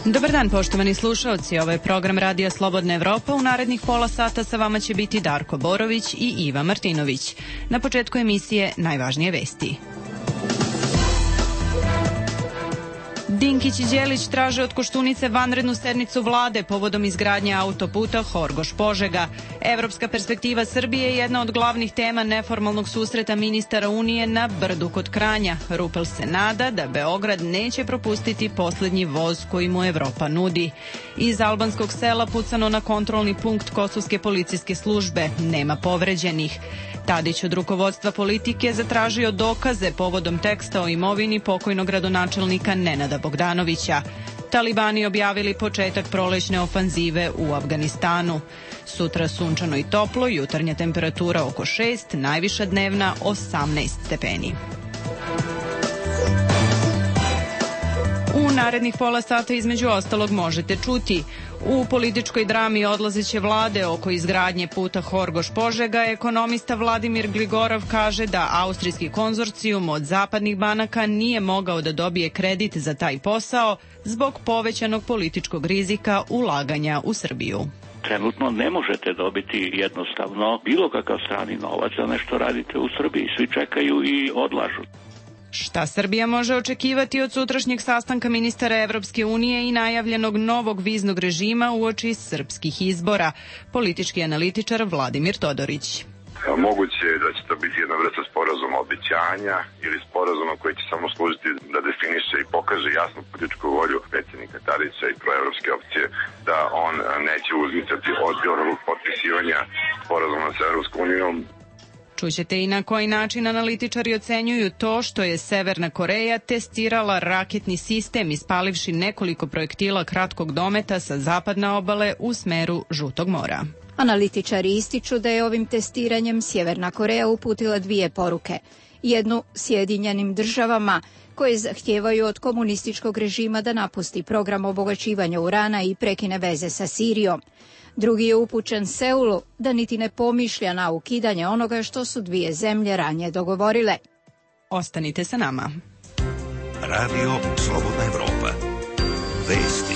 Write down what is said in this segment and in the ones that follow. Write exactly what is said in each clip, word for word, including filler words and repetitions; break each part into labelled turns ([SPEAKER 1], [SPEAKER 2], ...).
[SPEAKER 1] Dobar dan, poštovani slušaoci. Ovo je program Radija Slobodna Evropa. U narednih pola sata sa vama će biti Darko Borović i Iva Martinović. Na početku emisije najvažnije vesti. Dinkić i Đelić traže od Koštunice vanrednu sednicu vlade povodom izgradnje autoputa Horgoš-Požega. Evropska perspektiva Srbije je jedna od glavnih tema neformalnog susreta ministara Unije na Brdu kod Kranja. Rupel se nada da Beograd neće propustiti poslednji voz koji mu Evropa nudi. Iz albanskog sela pucano na kontrolni punkt kosovske policijske službe. Nema povređenih. Tadić od rukovodstva politike zatražio dokaze povodom teksta o imovini pokojnog gradonačelnika Nenada Bogdanovića. Talibani objavili početak prolećne ofanzive u Afganistanu. Sutra sunčano i toplo, jutarnja temperatura oko šest, najviša dnevna osamnaest stepeni. U narednih pola sata između ostalog možete čuti: u političkoj drami odlazeće vlade oko izgradnje puta Horgoš-Požega, ekonomista Vladimir Gligorov kaže da austrijski konzorcijum od zapadnih banaka nije mogao da dobije kredit za taj posao zbog povećanog političkog rizika ulaganja u Srbiju.
[SPEAKER 2] Trenutno ne možete dobiti jednostavno bilo kakav strani novac za nešto radite u Srbiji. Svi čekaju i odlažu.
[SPEAKER 1] Šta Srbija može očekivati od sutrašnjeg sastanka ministara Evropske unije i najavljenog novog viznog režima uoči srpskih izbora? Politički analitičar Vladimir Todorić.
[SPEAKER 3] Moguće je da će to biti jedna vrsta sporazuma obećanja ili sporazuma koji će samo služiti da definiše i pokaže jasnu političku volju predsjednika Tadića i proevropske opcije da on neće uzmicati od potpisivanja sporazuma sa Evropskom unijom.
[SPEAKER 1] Čućete i na koji način analitičari ocenjuju to što je Severna Koreja testirala raketni sistem ispalivši nekoliko projektila kratkog dometa sa zapadne obale u smeru Žutog mora.
[SPEAKER 4] Analitičari ističu da je ovim testiranjem Sjeverna Koreja uputila dvije poruke. Jednu Sjedinjenim državama, koje zahtijevaju od komunističkog režima da napusti program obogaćivanja urana i prekine veze sa Sirijom. Drugi je upućen Seulu da niti ne pomišlja na ukidanje onoga što su dvije zemlje ranije dogovorile.
[SPEAKER 1] Ostanite sa nama.
[SPEAKER 5] Radio Slobodna Evropa. Vesti.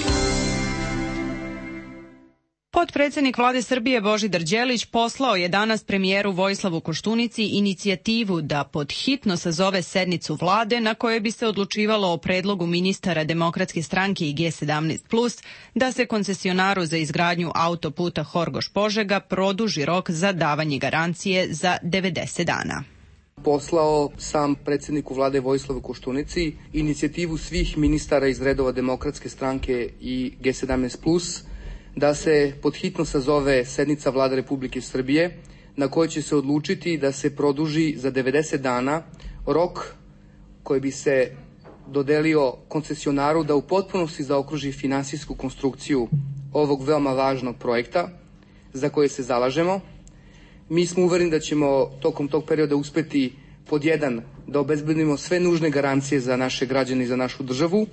[SPEAKER 1] Potpredsednik vlade Srbije Božidar Đelić poslao je danas premijeru Vojislavu Koštunici inicijativu da pod hitno sazove sednicu vlade na kojoj bi se odlučivalo o predlogu ministara Demokratske stranke i G sedamnaest plus da se koncesionaru za izgradnju autoputa Horgoš-Požega produži rok za davanje garancije za devedeset dana.
[SPEAKER 6] Poslao sam predsjedniku vlade Vojislavu Koštunici inicijativu svih ministara iz redova Demokratske stranke i G sedamnaest plus da se pod hitno sazove sednica vlade Republike Srbije na kojoj će se odlučiti da se produži za devedeset dana rok koji bi se dodelio koncesionaru da u potpunosti zaokruži finansijsku konstrukciju ovog veoma važnog projekta za koje se zalažemo. Mi smo uvereni da ćemo tokom tog perioda uspeti pod jedan da obezbedimo sve nužne garancije za naše građane i za našu državu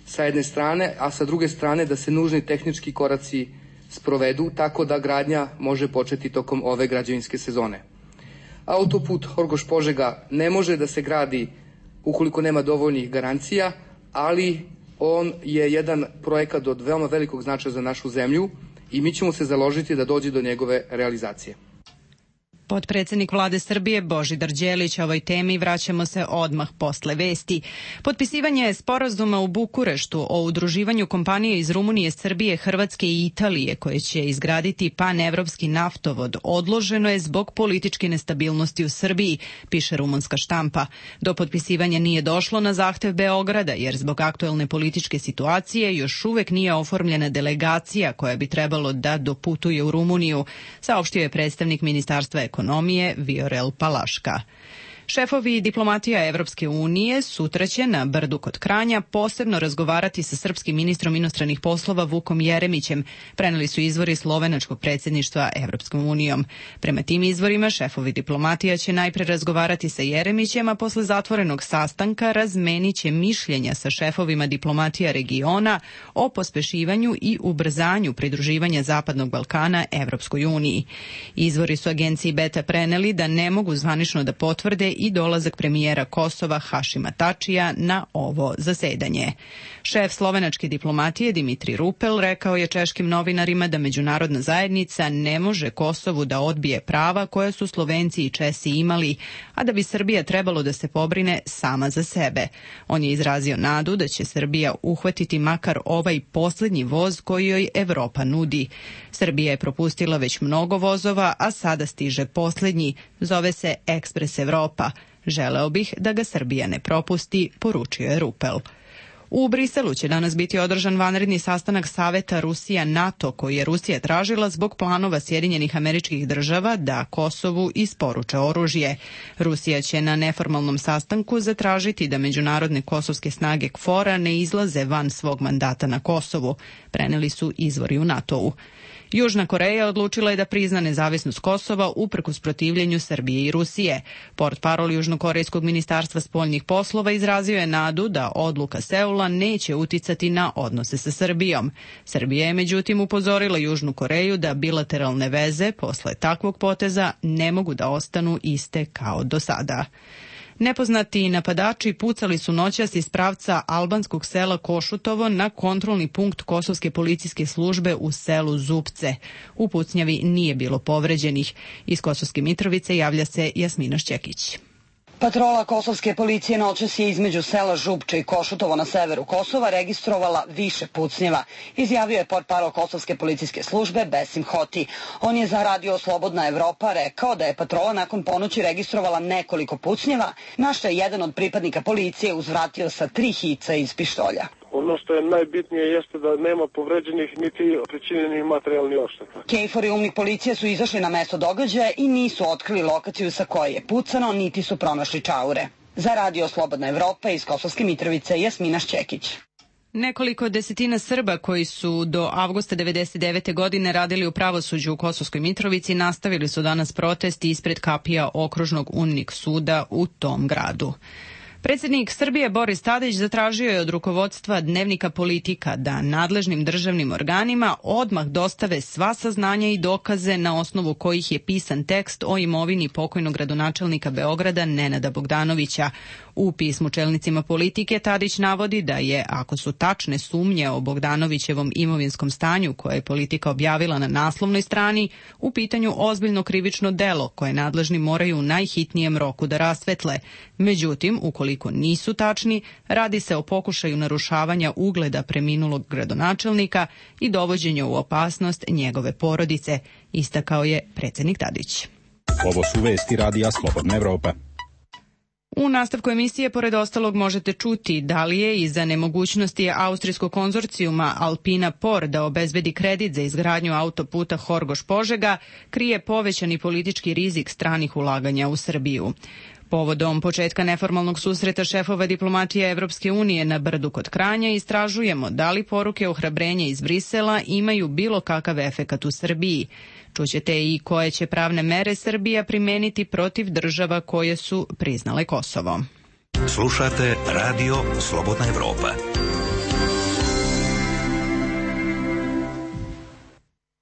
[SPEAKER 6] sa jedne strane, a sa druge strane da se nužni tehnički koraci sprovedu tako da gradnja može početi tokom ove građevinske sezone. Autoput Horgoš-Požega ne može da se gradi ukoliko nema dovoljnih garancija, ali on je jedan projekat od veoma velikog značaja za našu zemlju i mi ćemo se založiti da dođe do njegove realizacije.
[SPEAKER 1] Potpredsednik vlade Srbije Božidar Đelić, ovoj temi vraćamo se odmah posle vesti. Potpisivanje sporazuma u Bukureštu o udruživanju kompanije iz Rumunije, Srbije, Hrvatske i Italije koje će izgraditi panevropski naftovod odloženo je zbog političke nestabilnosti u Srbiji, piše rumunska štampa. Do potpisivanja nije došlo na zahtev Beograda jer zbog aktuelne političke situacije još uvek nije oformljena delegacija koja bi trebalo da doputuje u Rumuniju, saopštio je predstavnik Ministarstva ekonomije ekonomije Viorel Palaška. Šefovi diplomatija Evropske unije sutra će na Brdu kod Kranja posebno razgovarati sa srpskim ministrom inostranih poslova Vukom Jeremićem, preneli su izvori slovenačkog predsjedništva Evropskom unijom. Prema tim izvorima, šefovi diplomatija će najpre razgovarati sa Jeremićem, a posle zatvorenog sastanka razmenit će mišljenja sa šefovima diplomatija regiona o pospešivanju i ubrzanju pridruživanja Zapadnog Balkana Evropskoj uniji. Izvori su agenciji Beta preneli da ne mogu zvanično da potvrde i dolazak premijera Kosova Hašima Tačija na ovo zasedanje. Šef slovenačke diplomatije Dimitri Rupel rekao je češkim novinarima da međunarodna zajednica ne može Kosovu da odbije prava koja su Slovenci i Česi imali, a da bi Srbija trebalo da se pobrine sama za sebe. On je izrazio nadu da će Srbija uhvatiti makar ovaj poslednji voz koji joj Evropa nudi. Srbija je propustila već mnogo vozova, a sada stiže poslednji. Zove se Ekspres Evropa. Želeo bih da ga Srbija ne propusti, poručio je Rupel. U Briselu će danas biti održan vanredni sastanak Saveta Rusija-NATO koji je Rusija tražila zbog planova Sjedinjenih Američkih Država da Kosovu isporuče oružje. Rusija će na neformalnom sastanku zatražiti da međunarodne kosovske snage K F O R-a ne izlaze van svog mandata na Kosovu, preneli su izvori u NATO-u. Južna Koreja odlučila je da prizna nezavisnost Kosova uprkos protivljenju Srbije i Rusije. Portparol Južnokorejskog ministarstva spoljnih poslova izrazio je nadu da odluka Seula neće uticati na odnose sa Srbijom. Srbija je međutim upozorila Južnu Koreju da bilateralne veze posle takvog poteza ne mogu da ostanu iste kao do sada. Nepoznati napadači pucali su noćas iz pravca albanskog sela Košutovo na kontrolni punkt kosovske policijske službe u selu Zupce. U pucnjavi nije bilo povređenih. Iz Kosovske Mitrovice javlja se Jasmina Šćekić.
[SPEAKER 7] Patrola kosovske policije noćas je između sela Župče i Košutovo na severu Kosova registrovala više pucnjeva, izjavio je portparol kosovske policijske službe Besim Hoti. On je za radio Slobodna Evropa rekao da je patrola nakon ponoći registrovala nekoliko pucnjeva, na što je jedan od pripadnika policije uzvratio sa tri hica iz pištolja.
[SPEAKER 8] Ono što je najbitnije jeste da nema povređenih niti pričinjenih materijalnih odšteta.
[SPEAKER 7] Kejfor i umnik policije su izašli na mesto događaja i nisu otkrili lokaciju sa koje je pucano, niti su pronašli čaure. Za radio Slobodna Evropa iz Kosovske Mitrovice, Jasmina Šćekić.
[SPEAKER 1] Nekoliko desetina Srba koji su do avgusta devedeset devete godine radili u pravosuđu u Kosovskoj Mitrovici nastavili su danas protest ispred kapija okružnog UNMIK suda u tom gradu. Predsjednik Srbije Boris Tadić zatražio je od rukovodstva Dnevnika Politika da nadležnim državnim organima odmah dostave sva saznanja i dokaze na osnovu kojih je pisan tekst o imovini pokojnog gradonačelnika Beograda Nenada Bogdanovića. U pismu čelnicima Politike Tadić navodi da je, ako su tačne sumnje o Bogdanovićevom imovinskom stanju koje je Politika objavila na naslovnoj strani, u pitanju ozbiljno krivično delo koje nadležni moraju u najhitnijem roku da rasvetle. Međutim, ukoliko nisu tačni, radi se o pokušaju narušavanja ugleda preminulog gradonačelnika i dovođenja u opasnost njegove porodice, istakao je predsjednik Tadić.
[SPEAKER 9] Ovo su vesti radija Slobodna Evropa.
[SPEAKER 1] U nastavku emisije, pored ostalog, možete čuti da li je iza nemogućnosti austrijskog konzorcijuma Alpina Por da obezbedi kredit za izgradnju autoputa Horgoš-Požega krije povećani politički rizik stranih ulaganja u Srbiju. Povodom početka neformalnog susreta šefova diplomatije Evropske unije na Brdu kod Kranja istražujemo da li poruke ohrabrenja iz Brisela imaju bilo kakav efekat u Srbiji. Čućete i koje će pravne mere Srbija primeniti protiv država koje su priznale Kosovo.
[SPEAKER 5] Slušate Radio Slobodna Evropa.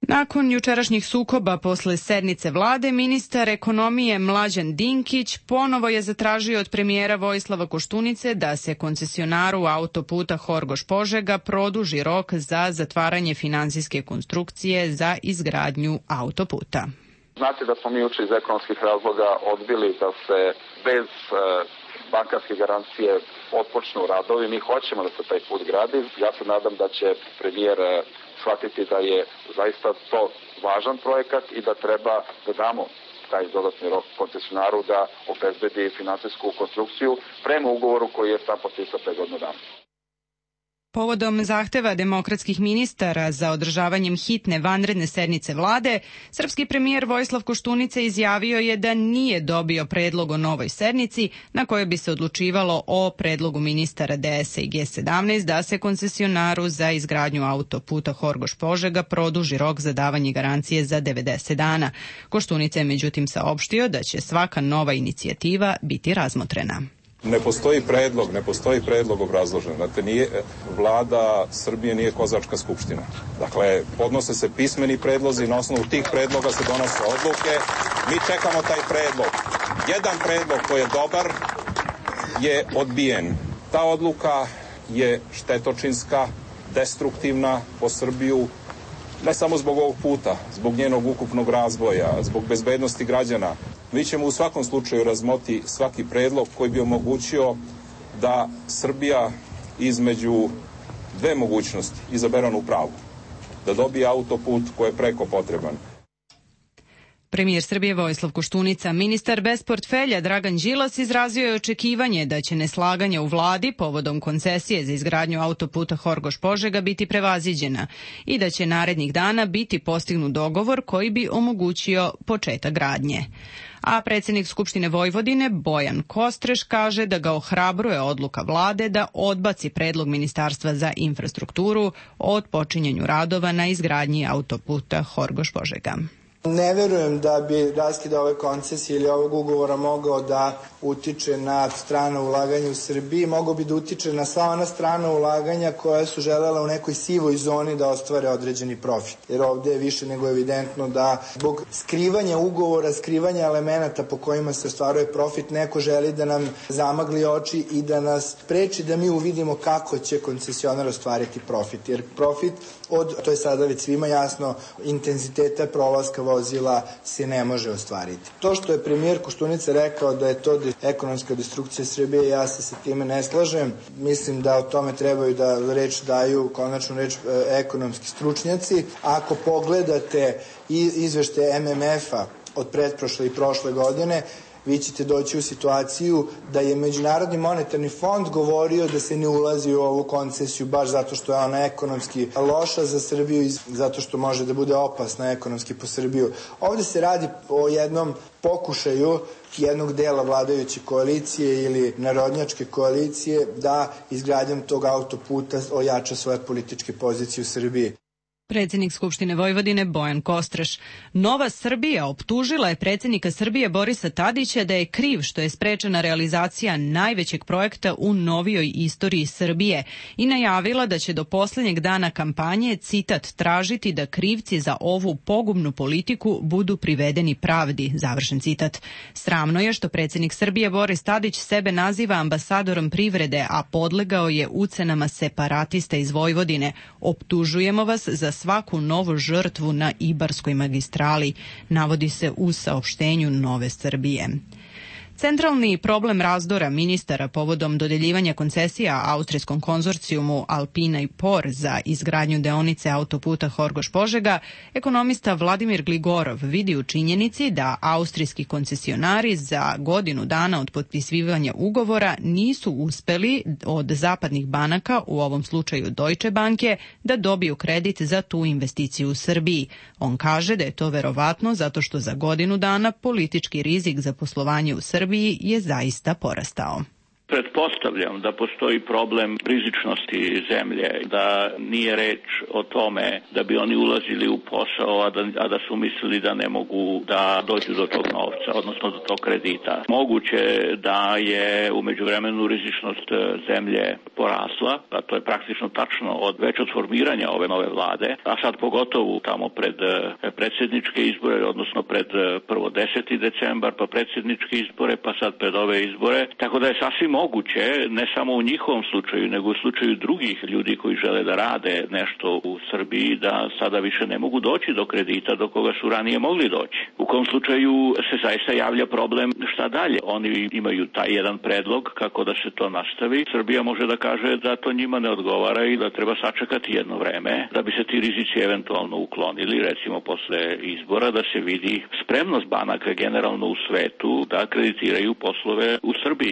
[SPEAKER 1] Nakon jučerašnjih sukoba posle sednice vlade, ministar ekonomije Mlađan Dinkić ponovo je zatražio od premijera Vojislava Koštunice da se koncesionaru autoputa Horgoš-Požega produži rok za zatvaranje finansijske konstrukcije za izgradnju autoputa.
[SPEAKER 10] Znate da smo mi juče iz ekonomskih razloga odbili da se bez e, bankarske garancije otpočnu radovi. Mi hoćemo da se taj put gradi. Ja se nadam da će premijer shvatiti da je zaista to važan projekat i da treba da damo taj dodatni rok koncesionaru da obezbedi finansijsku konstrukciju prema ugovoru koji je sam potpisao pre godinu dana.
[SPEAKER 1] Povodom zahteva demokratskih ministara za održavanjem hitne vanredne sednice vlade, srpski premijer Vojislav Koštunica izjavio je da nije dobio predlog o novoj sednici na kojoj bi se odlučivalo o predlogu ministara D S A i G sedamnaest da se koncesionaru za izgradnju autoputa Horgoš-Požega produži rok za davanje garancije za devedeset dana. Koštunica je međutim saopštio da će svaka nova inicijativa biti razmotrena.
[SPEAKER 11] Ne postoji predlog, ne postoji predlog obrazložen. Znate, nije, vlada Srbije nije kozačka skupština. Dakle, podnose se pismeni predlozi, na osnovu tih predloga se donose odluke. Mi čekamo taj predlog. Jedan predlog koji je dobar je odbijen. Ta odluka je štetočinska, destruktivna po Srbiju, ne samo zbog ovog puta, zbog njenog ukupnog razvoja, zbog bezbednosti građana. Mi ćemo u svakom slučaju razmoti svaki predlog koji bi omogućio da Srbija između dve mogućnosti izabere onu pravu, da dobije autoput koji je preko potreban.
[SPEAKER 1] Premijer Srbije Vojislav Koštunica, ministar bez portfelja Dragan Đilas izrazio je očekivanje da će neslaganje u vladi povodom koncesije za izgradnju autoputa Horgoš-Požega biti prevaziđena i da će narednih dana biti postignut dogovor koji bi omogućio početak gradnje. A predsjednik Skupštine Vojvodine Bojan Kostreš kaže da ga ohrabruje odluka vlade da odbaci predlog Ministarstva za infrastrukturu o otpočinjanju radova na izgradnji autoputa Horgoš-Požega.
[SPEAKER 12] Ne verujem da bi raskid ove koncesije ili ovog ugovora mogao da utiče na strano ulaganje u Srbiji, mogao bi da utiče na sva ona strana ulaganja koja su želela u nekoj sivoj zoni da ostvare određeni profit. Jer ovdje je više nego evidentno da zbog skrivanja ugovora, skrivanja elemenata po kojima se ostvaruje profit, neko želi da nam zamagli oči i da nas preči da mi uvidimo kako će koncesionar ostvariti profit. Jer profit od, to je sada već svima jasno, intenziteta prolaska vozila se ne može ostvariti. To što je premijer Koštunica rekao da je to ekonomska destrukcija Srbije, ja se sa time ne slažem. Mislim da o tome trebaju da reč daju, konačnu reč, ekonomski stručnjaci. Ako pogledate izveštaje M M F-a od pretprošle i prošle godine, vi ćete doći u situaciju da je Međunarodni monetarni fond govorio da se ne ulazi u ovu koncesiju baš zato što je ona ekonomski loša za Srbiju i zato što može da bude opasna ekonomski po Srbiju. Ovdje se radi o jednom pokušaju jednog dela vladajuće koalicije ili narodnjačke koalicije da izgradnjom tog autoputa ojača svoje političke pozicije u Srbiji.
[SPEAKER 1] Predsjednik Skupštine Vojvodine Bojan Kostreš. Nova Srbija optužila je predsjednika Srbije Borisa Tadića da je kriv što je sprečena realizacija najvećeg projekta u novijoj istoriji Srbije i najavila da će do posljednjeg dana kampanje, citat, tražiti da krivci za ovu pogubnu politiku budu privedeni pravdi, završen citat. Sramno je što predsjednik Srbije Boris Tadić sebe naziva ambasadorom privrede, a podlegao je ucenama separatista iz Vojvodine. Optužujemo vas za svaku novu žrtvu na Ibarskoj magistrali, navodi se u saopštenju Nove Srbije. Centralni problem razdora ministara povodom dodeljivanja koncesija austrijskom konzorcijumu Alpina i Por za izgradnju deonice autoputa Horgoš-Požega, ekonomista Vladimir Gligorov vidi u činjenici da austrijski koncesionari za godinu dana od potpisivanja ugovora nisu uspeli od zapadnih banaka, u ovom slučaju Deutsche Banke, da dobiju kredit za tu investiciju u Srbiji. On kaže da je to verovatno zato što za godinu dana politički rizik za poslovanje u Srbiji je zaista porastao.
[SPEAKER 2] Pretpostavljam da postoji problem rizičnosti zemlje, da nije reč o tome da bi oni ulazili u posao, a da, a da su mislili da ne mogu da dođu do tog novca, odnosno do tog kredita. Moguće da je u međuvremenu rizičnost zemlje porasla, a to je praktično tačno od već od formiranja ove nove vlade, a sad pogotovo tamo pred predsjedničke izbore, odnosno pred prvo deseti decembar, pa predsjedničke izbore, pa sad pred ove izbore, tako da je sasvim moguće, ne samo u njihovom slučaju, nego u slučaju drugih ljudi koji žele da rade nešto u Srbiji, da sada više ne mogu doći do kredita do koga su ranije mogli doći. U kom slučaju se zaista javlja problem šta dalje. Oni imaju taj jedan predlog kako da se to nastavi. Srbija može da kaže da to njima ne odgovara i da treba sačekati jedno vreme da bi se ti rizici eventualno uklonili, recimo posle izbora, da se vidi spremnost banaka generalno u svetu da kreditiraju poslove u Srbiji.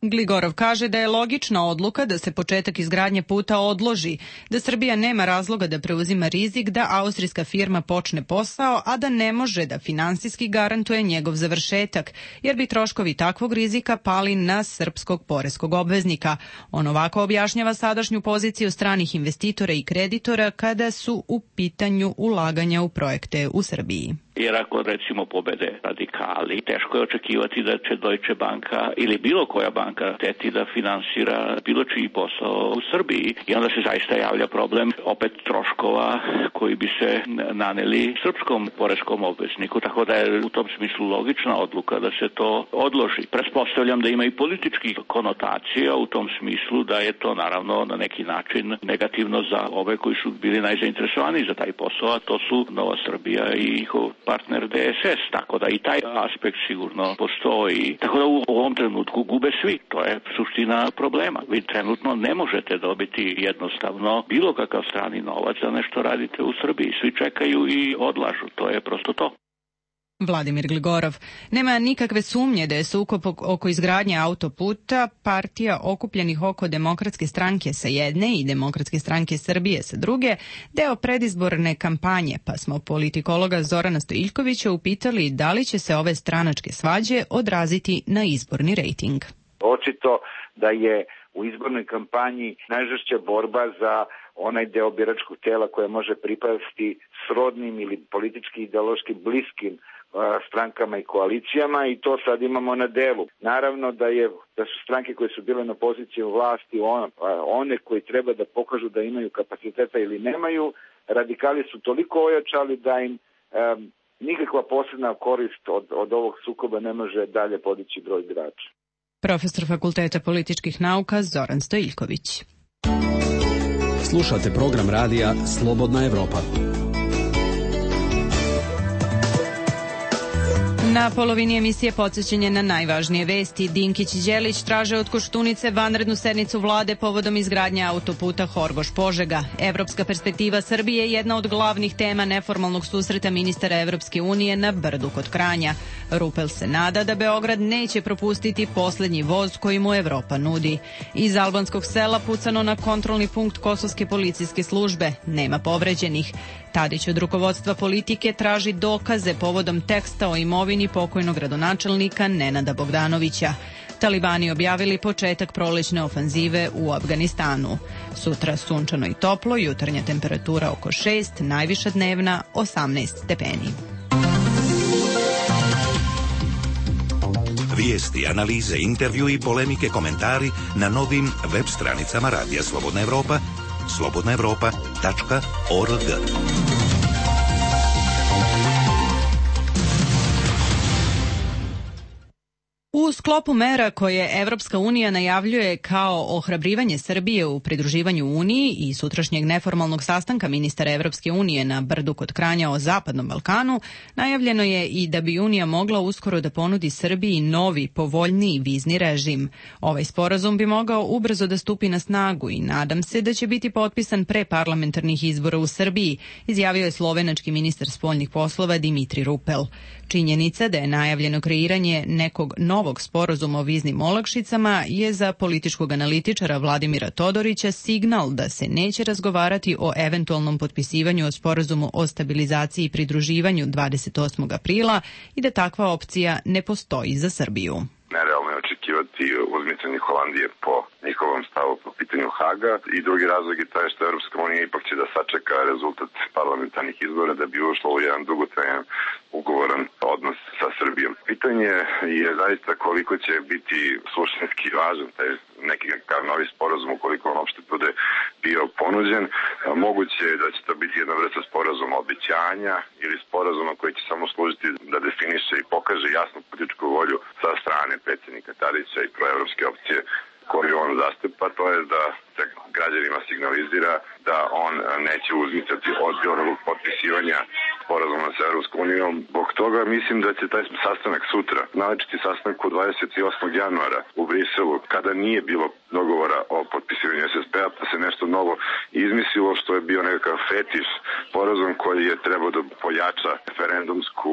[SPEAKER 1] Gligorov kaže da je logična odluka da se početak izgradnje puta odloži, da Srbija nema razloga da preuzima rizik da austrijska firma počne posao, a da ne može da finansijski garantuje njegov završetak, jer bi troškovi takvog rizika pali na srpskog poreskog obveznika. On ovako objašnjava sadašnju poziciju stranih investitora i kreditora kada su u pitanju ulaganja u projekte u Srbiji.
[SPEAKER 2] Jer ako recimo pobede radikali, teško je očekivati da će Deutsche Banka ili bilo koja banka teti da finansira bilo čiji posao u Srbiji. I onda se zaista javlja problem opet troškova koji bi se naneli srpskom poreskom obvezniku. Tako da je u tom smislu logična odluka da se to odloži. Pretpostavljam da ima i političkih konotacija u tom smislu da je to naravno na neki način negativno za ove koji su bili najzainteresovani za taj posao, a to su Nova Srbija i njihov partner D S S. Tako da i taj aspekt sigurno postoji. Tako da u ovom trenutku gube svi. To je suština problema. Vi trenutno ne možete dobiti jednostavno bilo kakav strani novac da nešto radite u Srbiji. Svi čekaju i odlažu. To je prosto to.
[SPEAKER 1] Vladimir Gligorov. Nema nikakve sumnje da je sukob oko izgradnje autoputa partija okupljenih oko Demokratske stranke sa jedne i Demokratske stranke Srbije sa druge deo predizborne kampanje, pa smo politikologa Zorana Stojiljkovića upitali da li će se ove stranačke svađe odraziti na izborni rejting.
[SPEAKER 13] Očito da je u izbornoj kampanji najžešća borba za onaj deo biračkog tela koja može pripasti srodnim ili politički ideološki bliskim strankama i koalicijama i to sad imamo na delu. Naravno da je da su stranke koje su bile na poziciji vlasti on, one koji treba da pokažu da imaju kapaciteta ili nemaju, radikali su toliko ojačali da im um, nikakva posebna korist od, od ovog sukoba ne može dalje podići broj birača.
[SPEAKER 1] Profesor Fakulteta političkih nauka Zoran Stojiljković.
[SPEAKER 14] Slušate program radija Slobodna Evropa.
[SPEAKER 1] Na polovini emisije podsjećanje na najvažnije vesti. Dinkić i Đelić traže od Koštunice vanrednu sednicu vlade povodom izgradnje autoputa Horgoš-Požega. Evropska perspektiva Srbije je jedna od glavnih tema neformalnog susreta ministara Evropske unije na Brdu kod Kranja. Rupel se nada da Beograd neće propustiti poslednji voz koji mu Evropa nudi. Iz albanskog sela pucano na kontrolni punkt kosovske policijske službe. Nema povređenih. Tadić od rukovodstva politike traži dokaze povodom teksta o imovini pokojnog gradonačelnika Nenada Bogdanovića. Talibani objavili početak prolećne ofanzive u Afganistanu. Sutra sunčano i toplo, jutarnja temperatura oko šest, najviša dnevna osamnaest stepeni.
[SPEAKER 5] Vijesti, analize, intervju i polemike, komentari na novim web stranicama Radija Slobodna Evropa, slobodna evropa tačka org.
[SPEAKER 1] U sklopu mera koje Evropska unija najavljuje kao ohrabrivanje Srbije u pridruživanju Uniji i sutrašnjeg neformalnog sastanka ministara Evropske unije na Brdu kod Kranja o Zapadnom Balkanu, najavljeno je i da bi Unija mogla uskoro da ponudi Srbiji novi, povoljniji vizni režim. Ovaj sporazum bi mogao ubrzo da stupi na snagu i nadam se da će biti potpisan pre parlamentarnih izbora u Srbiji, izjavio je slovenački ministar spoljnih poslova Dimitri Rupel. Činjenica da je najavljeno kreiranje nekog novog sporazuma o viznim olakšicama je za političkog analitičara Vladimira Todorića signal da se neće razgovarati o eventualnom potpisivanju o sporazumu o stabilizaciji i pridruživanju dvadeset osmog aprila i da takva opcija ne postoji za Srbiju.
[SPEAKER 3] Nerealno je očekivati uzmicanje Holandije po njihovom stavu po pitanju Haga i drugi razlog je taj što Europska unija ipak će da sačeka rezultat parlamentarnih izbora da bi ušlo u jedan dugotrajan ugovoran odnos sa Srbijom. Pitanje je zaista koliko će biti suštinski važan taj neki novi sporazum ukoliko on uopšte bude bio ponuđen. Moguće je da će to biti jedna vrsta sporazuma obećanja ili sporazuma koji će samo služiti da definiše i pokaže jasnu političku volju sa strane predsjednika Tadića i proevropske opcije koju on zastupa, to je da se građanima signalizira da on neće uzmicati od onog potpisivanja sporazuma sa Evropskom unijom. Zbog toga mislim da će taj sastanak sutra, naročiti sastanak u dvadeset osmog januara u Briselu, kada nije bilo dogovora o potpisivanju es es pe-a, pa se nešto novo izmislilo što je bio nekakav fetiš sporazum koji je trebao da pojača referendumsku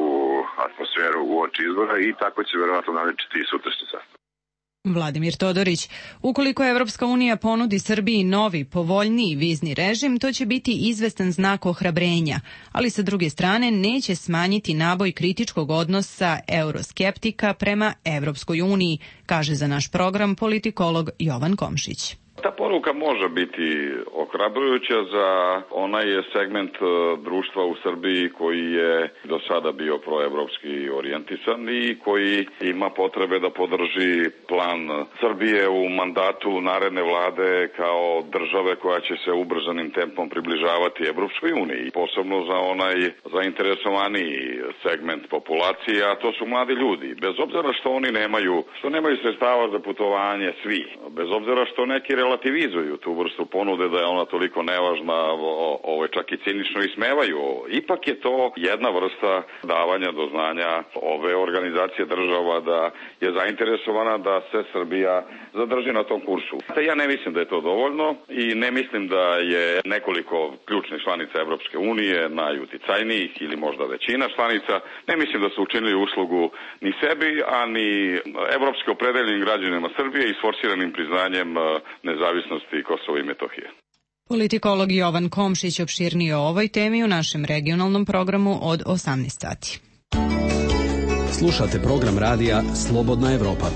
[SPEAKER 3] atmosferu u oči izbora i tako će verovatno naročiti i sutrašnji sastanak.
[SPEAKER 1] Vladimir Todorić. Ukoliko Evropska unija ponudi Srbiji novi, povoljniji vizni režim, to će biti izvestan znak ohrabrenja, ali sa druge strane neće smanjiti naboj kritičkog odnosa euroskeptika prema Evropskoj uniji, kaže za naš program politikolog Jovan Komšić.
[SPEAKER 15] Ta Ta poruka može biti ohrabrujuća za onaj segment društva u Srbiji koji je do sada bio proevropski orijentisan i koji ima potrebe da podrži plan Srbije u mandatu naredne vlade kao države koja će se ubrzanim tempom približavati Evropskoj uniji. Posebno za onaj zainteresovaniji segment populacije, a to su mladi ljudi. Bez obzira što oni nemaju, što nemaju sredstava za putovanje svi, bez obzira što neki relativizuju tu vrstu ponude da je ona toliko nevažna, ovo čak i cinično ismevaju. Ipak je to jedna vrsta davanja do znanja ove organizacije država da je zainteresovana da se Srbija zadrži na tom kursu. Ja ne mislim da je to dovoljno i ne mislim da je nekoliko ključnih članica Evropske unije, najuticajnijih ili možda većina članica, ne mislim da su učinili uslugu ni sebi, a ni evropski opredeljenim građanima Srbije i sforsiranim priznanjem nezavisnosti Kosova i Metohije.
[SPEAKER 1] Politikolog Jovan Komšić opširnije o ovoj temi u našem regionalnom programu od osamnaest sati.
[SPEAKER 14] Slušate program radija Slobodna Evropa.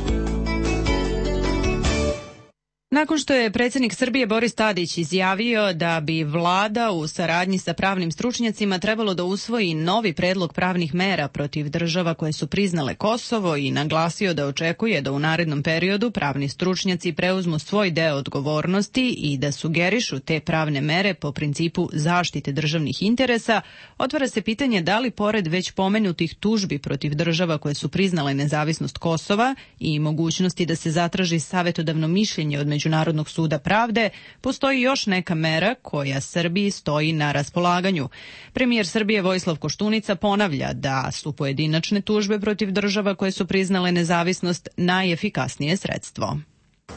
[SPEAKER 1] Nakon što je predsjednik Srbije Boris Tadić izjavio da bi vlada u saradnji sa pravnim stručnjacima trebalo da usvoji novi predlog pravnih mera protiv država koje su priznale Kosovo i naglasio da očekuje da u narednom periodu pravni stručnjaci preuzmu svoj deo odgovornosti i da sugerišu te pravne mere po principu zaštite državnih interesa, otvara se pitanje da li pored već pomenutih tužbi protiv država koje su priznale nezavisnost Kosova i mogućnosti da se zatraži savjetodavno mišljenje od Međunarodnog suda pravde, postoji još neka mera koja Srbiji stoji na raspolaganju. Premijer Srbije Vojislav Koštunica ponavlja da su pojedinačne tužbe protiv država koje su priznale nezavisnost najefikasnije sredstvo.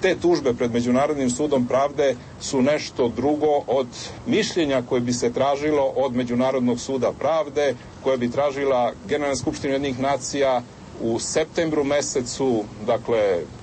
[SPEAKER 11] Te tužbe pred Međunarodnim sudom pravde su nešto drugo od mišljenja koje bi se tražilo od Međunarodnog suda pravde, koje bi tražila Generalna skupština Ujedinjenih nacija u septembru mesecu, dakle,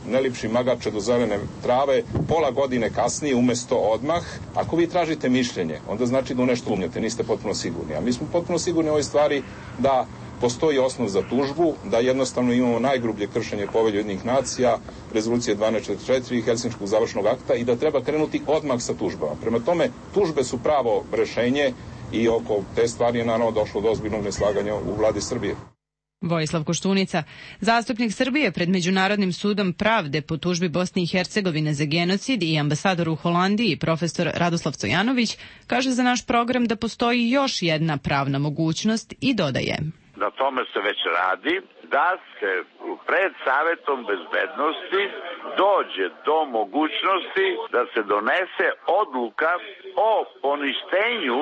[SPEAKER 11] ne lipši magače do zelene trave, pola godine kasnije umesto odmah. Ako vi tražite mišljenje, onda znači da u nešto umnjate, niste potpuno sigurni. A mi smo potpuno sigurni u ovoj stvari da postoji osnov za tužbu, da jednostavno imamo najgrublje kršenje Povelje Ujedinjenih nacija, rezolucije dvanaest četrdeset četiri i Helsinškog završnog akta i da treba krenuti odmah sa tužbama. Prema tome, tužbe su pravo rešenje i oko te stvari je naravno došlo do ozbiljnog neslaganja u vladi Srbije.
[SPEAKER 1] Vojislav Koštunica, zastupnik Srbije pred Međunarodnim sudom pravde po tužbi Bosne i Hercegovine za genocid i ambasador u Holandiji, profesor Radoslav Cojanović, kaže za naš program da postoji još jedna pravna mogućnost i dodaje.
[SPEAKER 16] Na tome se već radi, da se pred Savetom bezbednosti dođe do mogućnosti da se donese odluka o poništenju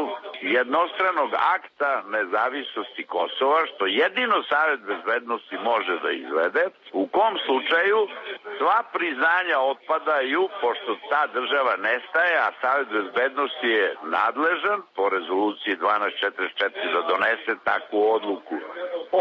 [SPEAKER 16] jednostranog akta nezavisnosti Kosova, što jedino Savet bezbednosti može da izvede, u kom slučaju sva priznanja otpadaju, pošto ta država nestaje, a Savet bezbednosti je nadležan po rezoluciji dvanaest četrdeset četiri da donese takvu odluku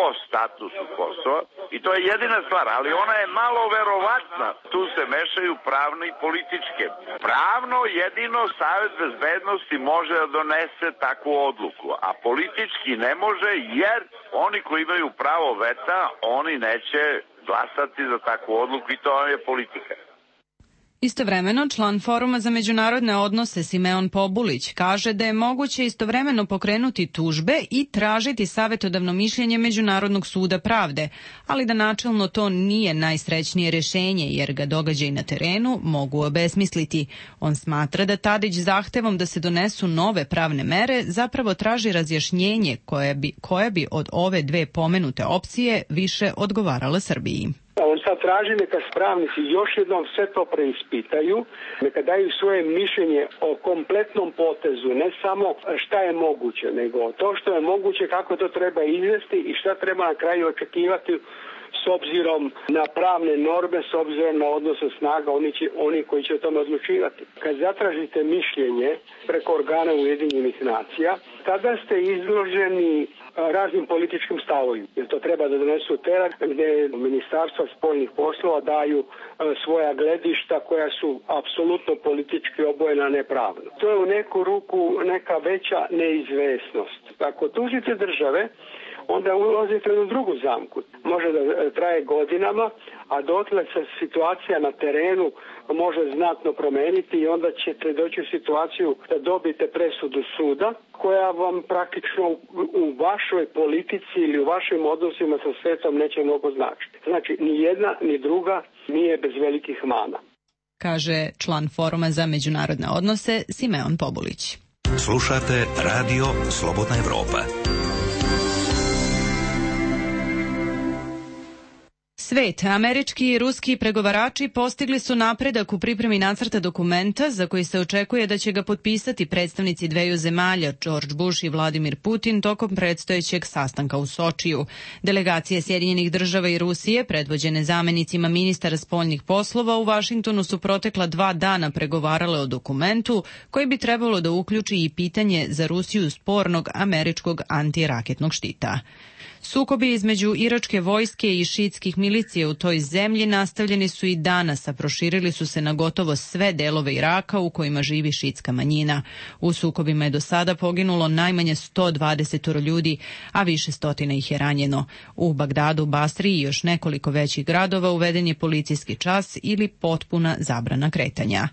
[SPEAKER 16] o statusu Kosova. I to je jedina stvar, ali ona je malo verovatna. Tu se mešaju pravno i političke. Pravno jedino Savet bezbednosti može da donese takvu odluku, a politički ne može, jer oni koji imaju pravo veta, oni neće glasati za takvu odluku i to je politika.
[SPEAKER 1] Istovremeno, član Foruma za međunarodne odnose Simeon Pobulić kaže da je moguće istovremeno pokrenuti tužbe i tražiti savjetodavno mišljenje Međunarodnog suda pravde, ali da načelno to nije najsrećnije rešenje jer ga događaji na terenu mogu obesmisliti. On smatra da Tadić zahtevom da se donesu nove pravne mere zapravo traži razjašnjenje koje bi, koje bi od ove dve pomenute opcije više odgovarala Srbiji.
[SPEAKER 17] On sad traži neka pravnici još jednom sve to preispitaju, neka daju svoje mišljenje o kompletnom potezu, ne samo šta je moguće, nego to što je moguće, kako to treba izvesti i šta treba na kraju očekivati s obzirom na pravne norme, s obzirom na odnose snaga, oni, će, oni koji će o tome odlučivati. Kad zatražite mišljenje preko organa Ujedinjenih nacija, tada ste izloženi raznim političkim stavovima. Jer to treba da donesu tela gde ministarstva spoljnih poslova daju svoja gledišta koja su apsolutno politički obojena nepravno. To je u neku ruku neka veća neizvesnost. Ako tužite države, onda ulazite u drugu zamku. Može da traje godinama, a dotle se situacija na terenu može znatno promeniti i onda ćete doći u situaciju da dobijete presudu suda koja vam praktično u vašoj politici ili u vašim odnosima sa svetom neće mnogo značiti. Znači, ni jedna ni druga nije bez velikih mana.
[SPEAKER 1] Kaže član Foruma za međunarodne odnose Simeon Pobulić.
[SPEAKER 5] Slušate Radio Slobodna Evropa.
[SPEAKER 1] Svet, američki i ruski pregovarači postigli su napredak u pripremi nacrta dokumenta za koji se očekuje da će ga potpisati predstavnici dveju zemalja, George Bush i Vladimir Putin, tokom predstojećeg sastanka u Sočiju. Delegacije Sjedinjenih država i Rusije, predvođene zamenicima ministara spoljnih poslova, u Vašingtonu su protekla dva dana pregovarale o dokumentu koji bi trebalo da uključi i pitanje za Rusiju spornog američkog antiraketnog štita. Sukobi između iračke vojske i šiitskih milicija u toj zemlji nastavljeni su i danas, a proširili su se na gotovo sve delove Iraka u kojima živi šiitska manjina. U sukobima je do sada poginulo najmanje sto dvadeset ljudi, a više stotina ih je ranjeno. U Bagdadu, Basri i još nekoliko većih gradova uveden je policijski čas ili potpuna zabrana kretanja.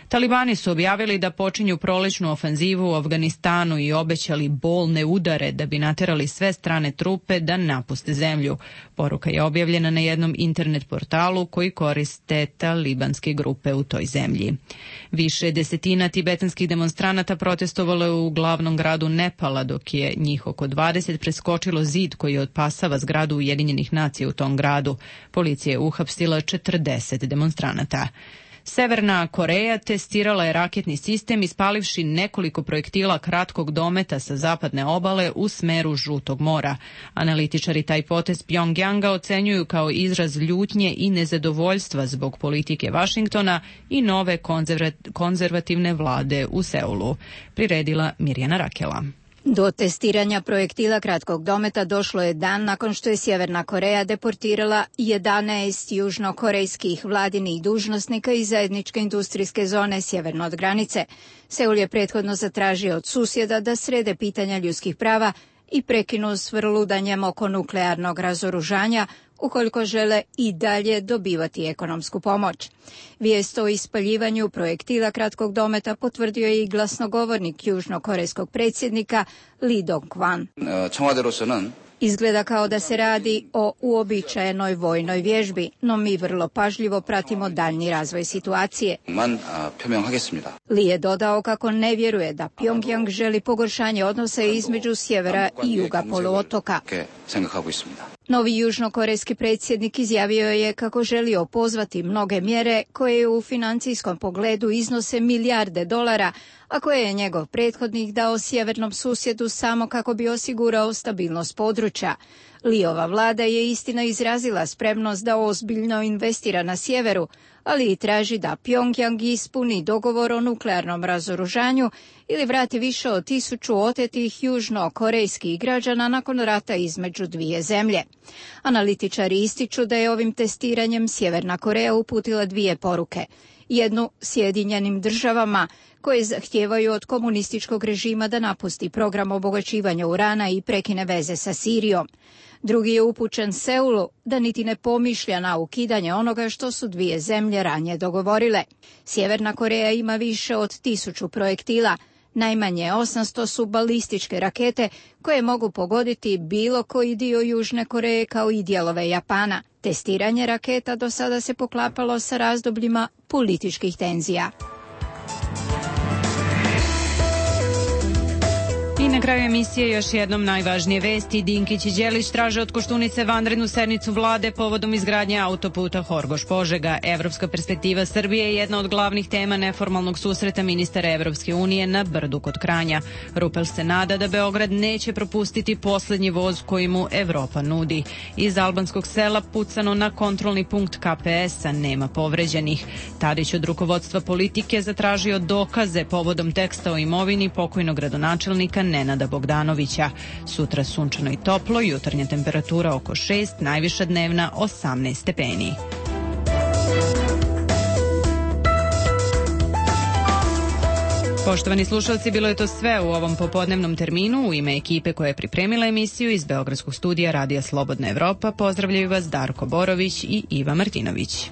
[SPEAKER 1] Talibani su objavili da počinju prolećnu ofanzivu u Afganistanu i obećali bolne udare da bi naterali sve strane trupe da napuste zemlju. Poruka je objavljena na jednom internet portalu koji koriste talibanske grupe u toj zemlji. Više desetina tibetanskih demonstranata protestovalo je u glavnom gradu Nepala, dok je njih oko dvadeset preskočilo zid koji otpasava zgradu Ujedinjenih nacija u tom gradu. Policija je uhapsila četrdeset demonstranata. Severna Koreja testirala je raketni sistem ispalivši nekoliko projektila kratkog dometa sa zapadne obale u smeru Žutog mora. Analitičari taj potez Pjongjanga ocenjuju kao izraz ljutnje i nezadovoljstva zbog politike Vašingtona i nove konzervativne vlade u Seulu. Priredila Mirjana Rakela.
[SPEAKER 4] Do testiranja projektila kratkog dometa došlo je dan nakon što je Sjeverna Koreja deportirala jedanaest južnokorejskih vladinih dužnosnika iz zajedničke industrijske zone sjeverno od granice. Seul je prethodno zatražio od susjeda da srede pitanja ljudskih prava i prekinu s vrludanjem oko nuklearnog razoružanja ukoliko žele i dalje dobivati ekonomsku pomoć. Vijest o ispaljivanju projektila kratkog dometa potvrdio je i glasnogovornik južnokorejskog predsjednika Lee Dong-kwan. Izgleda kao da se radi o uobičajenoj vojnoj vježbi, no mi vrlo pažljivo pratimo daljnji razvoj situacije. Lee je dodao kako ne vjeruje da Pjongjang želi pogoršanje odnosa između sjevera i juga poluotoka. Novi južnokorejski predsjednik izjavio je kako želi opozvati mnoge mjere koje u financijskom pogledu iznose milijarde dolara, a koje je njegov prethodnik dao sjevernom susjedu samo kako bi osigurao stabilnost područja. Liova vlada je istina izrazila spremnost da ozbiljno investira na sjeveru, ali i traži da Pjongjang ispuni dogovor o nuklearnom razoružanju ili vrati više od tisuću otetih južnokorejskih građana nakon rata između dvije zemlje. Analitičari ističu da je ovim testiranjem Sjeverna Koreja uputila dvije poruke. Jednu Sjedinjenim državama, koje zahtijevaju od komunističkog režima da napusti program obogaćivanja urana i prekine veze sa Sirijom. Drugi je upućen Seulu da niti ne pomišlja na ukidanje onoga što su dvije zemlje ranije dogovorile. Sjeverna Koreja ima više od tisuću projektila, najmanje osamsto su balističke rakete koje mogu pogoditi bilo koji dio Južne Koreje kao i dijelove Japana. Testiranje raketa do sada se poklapalo sa razdobljima političkih tenzija.
[SPEAKER 1] I na kraju emisije još jednom najvažnije vesti. Dinkić i Đelić traže od Koštunice vanrednu sednicu vlade povodom izgradnje autoputa Horgoš-Požega. Evropska perspektiva Srbije je jedna od glavnih tema neformalnog susreta ministara Evropske unije na Brdu kod Kranja. Rupel se nada da Beograd neće propustiti poslednji voz koji mu Evropa nudi. Iz albanskog sela pucano na kontrolni punkt K P S-a, nema povređenih. Tadić od rukovodstva politike zatražio dokaze povodom teksta o imovini pokojnog gradonačelnika Nenada Bogdanovića. Sutra sunčano i toplo, jutarnja temperatura oko šest, najviša dnevna osamnaest stepeni. Poštovani slušalci, bilo je to sve u ovom popodnevnom terminu. U ime ekipe koja je pripremila emisiju iz Beogradskog studija Radija Slobodna Evropa pozdravljaju vas Darko Borović i Iva Martinović.